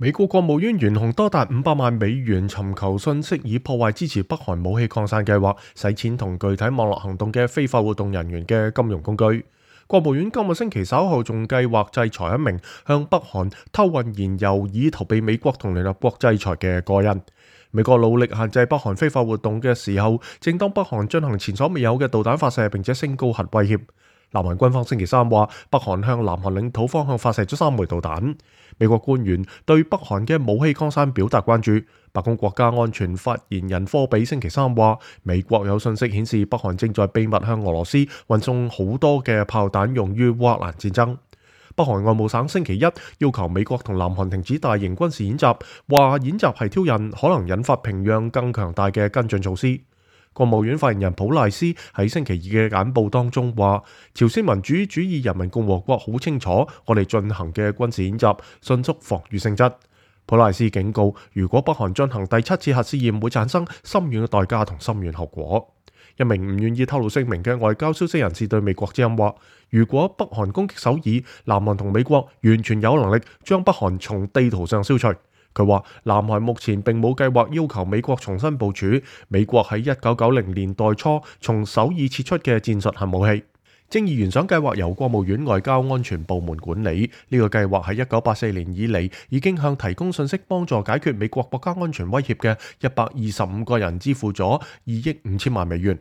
美國國務院懸紅多達500萬美元，尋求信息以破壞支持北韓武器擴散計劃、洗錢同具體網絡行動嘅非法活動人員嘅金融工具。國務院今個星期稍後仲計劃制裁一名向北韓偷運燃油以逃避美國同聯合國制裁嘅個人。美國努力限制北韓非法活動嘅時候，正當北韓進行前所未有嘅導彈發射，並且升高核威脅。南韓軍方星期三話，北韓向南韓領土方向發射咗3枚導彈。美國官員對北韓嘅武器擴散表達關注。白宮國家安全發言人科比星期三話，美國有信息顯示北韓正在秘密向俄羅斯運送好多嘅炮彈用於烏克蘭戰爭。北韓外務省星期一要求美國同南韓停止大型軍事演習，話演習係挑釁，可能引發平壤更強大嘅跟進措施。國務院發言人普賴斯喺星期二嘅簡報當中話，朝鮮民主主義人民共和國好清楚我哋進行嘅軍事演習迅速防禦性質。普賴斯警告，如果北韓進行第7次核試驗，會產生深遠嘅代價同深遠後果。一名唔願意透露姓名嘅外交消息人士對美國之音話，如果北韓攻擊首爾，南韓同美國完全有能力將北韓從地圖上消除。佢話，南韓目前並冇計劃要求美國重新部署美國喺1990年代初從首爾撤出嘅戰術核武器。正義懸賞計劃由國務院外交安全部門管理，呢個計劃喺1984年以嚟已經向提供信息幫助解決美國國家安全威脅嘅125個人支付咗2億5千萬美元。